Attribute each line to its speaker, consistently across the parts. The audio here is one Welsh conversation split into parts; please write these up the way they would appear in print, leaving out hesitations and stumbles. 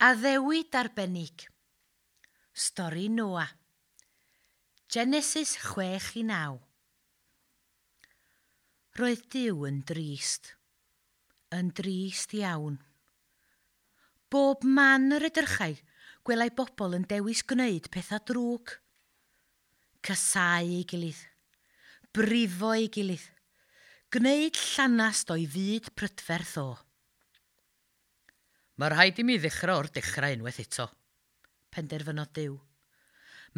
Speaker 1: Addewid arbennig. Stori Noa. Genesis 6-9. Roedd Duw yn drist. Yn drist iawn. Bob man yr edrychai, gwelai bobl yn dewis gwneud pethau drwg. Casáu ei gilydd. Brifo ei gilydd. Gwneud llanast o'i fyd prydferth o.
Speaker 2: Mae rhaid i mi ddechrau o'r dechrau unwaith eto,
Speaker 1: penderfynodd Duw.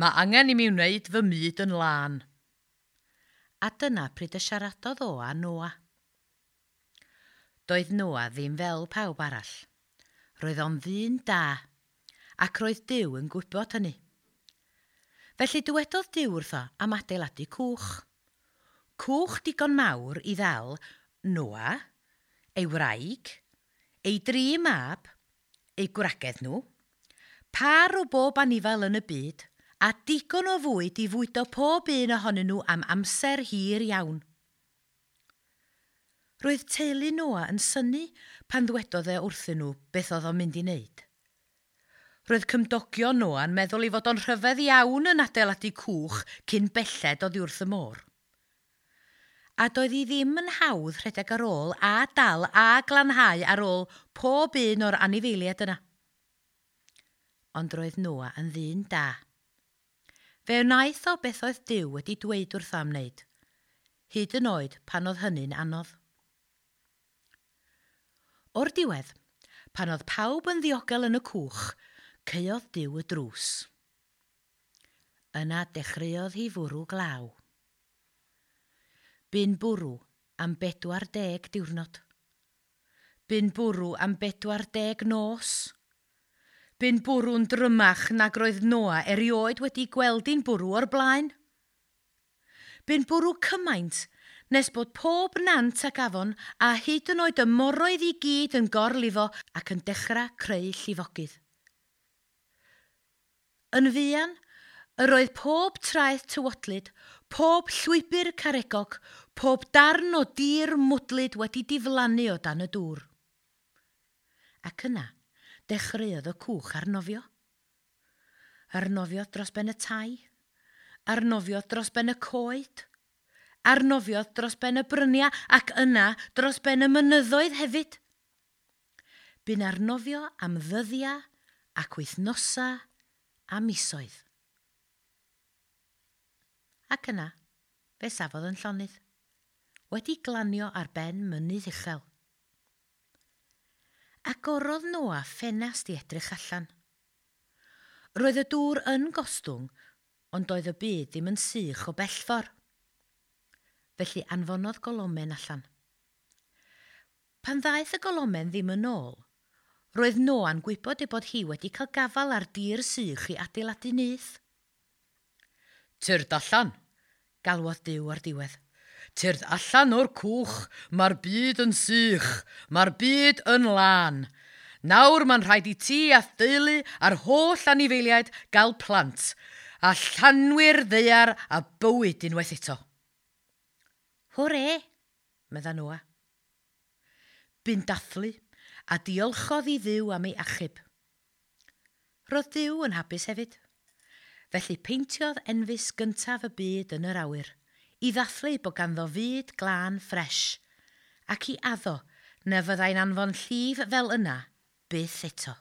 Speaker 2: Mae angen i mi wneud fy myd yn lân.
Speaker 1: A dyna pryd y siaradodd o â Noa. Doedd Noa ddim fel pawb arall. Roedd o'n ddyn da, ac roedd Duw yn gwybod hynny. Felly dywedodd Duw wrtho am adeiladu cwch. Cwch digon mawr i ddal Noa, ei wraig, ei dri mab, eu gwragedd nhw, par o bob anifail yn y byd, a digon o fwyd i fwydo pob un ohonyn nhw am amser hir iawn. Roedd teulu Noa yn synnu pan ddwedodd e wrthyn nhw beth oedd o'n mynd i wneud. Roedd cymdogion Noa'n meddwl ei fod o'n rhyfedd iawn yn adeiladu cwch cyn belled oddi wrth y môr. A doedd hi ddim yn hawdd rhedeg ar ôl a dal a glanhau ar ôl pob un o'r anifeiliaid yna. Ond roedd Noa yn ddyn da. Fe wnaeth o beth oedd Duw wedi dweud wrtho am wneud, hyd yn oed pan oedd hynny'n anodd. O'r diwedd, pan oedd pawb yn ddiogel yn y cwch, caeodd Duw y drws. Yna dechreuodd hi fwrw glaw. Bu'n bwrw am 40 diwrnod. Bu'n bwrw am 40 nos. Bu'n bwrw'n drymach nag roedd Noa erioed wedi gweld hi'n bwrw o'r blaen. Bu'n bwrw cymaint nes bod pob nant ac afon a hyd yn oed y moroedd i gyd yn gorlifo ac yn dechrau creu llifogydd. Yn fuan, yr oedd pob traeth tywodlyd, pob llwybr caregog, pob darn o dir mwdlyd wedi diflannu o dan y dŵr. Ac yna, dechreuodd y cwch arnofio. Arnofiodd dros ben y tai, arnofiodd dros ben y coed, arnofiodd dros ben y bryniau ac yna dros ben y mynyddoedd hefyd. Bu'n arnofio am ddyddiau ac wythnosau a misoedd. Ac yna, fe safodd yn llonydd, wedi glanio ar ben mynydd uchel. Agorodd Noa ffenast i edrych allan. Roedd y dŵr yn gostwng, ond doedd y byd ddim yn sych o bellfor. Felly anfonodd golomen allan. Pan ddaeth y golomen ddim yn ôl, roedd Noa'n gwybod ei bod hi wedi cael gafael ar dir sych i adeiladu nyth.
Speaker 2: Tyrd allan,
Speaker 1: galwodd Duw o'r diwedd.
Speaker 2: Tyrd allan o'r cwch, mae'r byd yn sych, mae'r byd yn lân. Nawr mae'n rhaid i ti a theulu a'r holl anifeiliaid gael plant, a llanwi'r ddaear a bywyd unwaith eto.
Speaker 1: Hwre, medda Noa. Bu'n dathlu a diolchodd i Dduw am ei achub. Roedd Duw yn hapus hefyd. Felly peintiodd enfys gyntaf y byd yn yr awyr, i ddathlu bod ganddo fyd glân ffres, ac i addo na fyddai'n anfon llif fel yna byth eto.